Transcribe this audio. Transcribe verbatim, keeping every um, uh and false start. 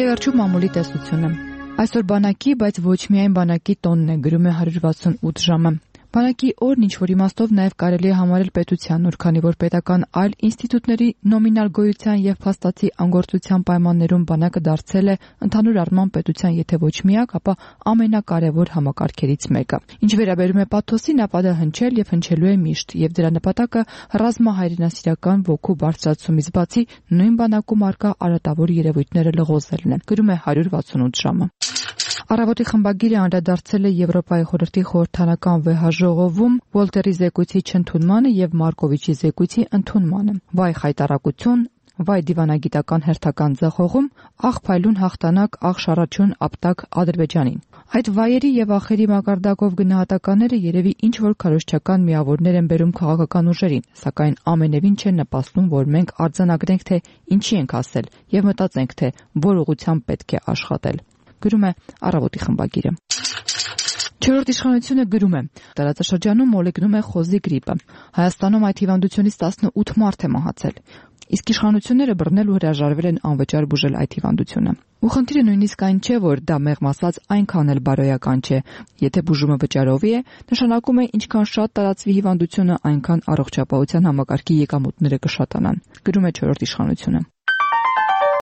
Եվ վերջում մամուլի տեսությունը։ Այսօր բանակի, բայց ոչ միայն բանակի տոնն է, գրում է հարյուր վաթսունութ ժամը։ Բանակի օրն ինչ-որ իմաստով նաև կարելի է համարել պետության օր, քանի որ պետական այլ ինստիտուտների նոմինալ գոյության եւ փաստացի անգործության պայմաններում բանակը դարձել է ընդհանուր առմամբ պետության եթե ոչ միակ, ապա ամենակարևոր համակարգերից մեկը։ Ինչ վերաբերում է պաթոսին, ապա դա հնչել եւ հնչելու է միշտ, եւ դրա նպատակը ռազմահայրենասիրական ոգու բարձրացումից բացի նույն բանակում արկա արատավոր երևույթները լղոզելն է, գրում է հարյուր վաթսունութ ժամը։ Առավոտի խմբագիրը անդրադարձել է Եվրոպայի խորհրդի խորհրդանական վեհաժողովում Վոլտերի զեկույցի չընդունմանը եւ Մարկովիչի զեկույցի ընդունմանը։ Վայ խայտարակություն, վայ դիվանագիտական հերթական ձախողում, աղ փայլուն հաղթանակ, աղ շարաչուն ապտակ Ադրբեջանին։ Այդ վայերի եւ ախերի մակարդակով գնահատականները երևի ինչ որ քարոզչական միավորներ են բերում քաղաքական ուժերին, սակայն ամենևին չեն նպաստում, որ մենք արձանագրենք, թե ինչի ենք ասել եւ մտածենք, թե որ ուղղությամբ պետք է աշխատել։ Գրում է Առավոտի խմբագիրը։ Չորրորդ իշխանությունը գրում է. տարածաշրջանում մոլեգնում է խոզի գրիպը։ Հայաստանում այդ հիվանդությունից տասնութ մարդ է մահացել։ Իսկ իշխանությունները բռնել ու հրաժարվել են անվճար բուժել այդ հիվանդությունը։ Ու խնդիրը նույնիսկ այն չէ, որ դա մեղմ ասած այնքան էլ բարոյական չէ։ Եթե բուժումը վճարովի է, նշանակում է ինչքան շատ տարածվի հիվանդությունը, այնքան առողջապահության համակարգի եկամուտները կշատանան։ Գրում է չորրորդ իշխանությունը։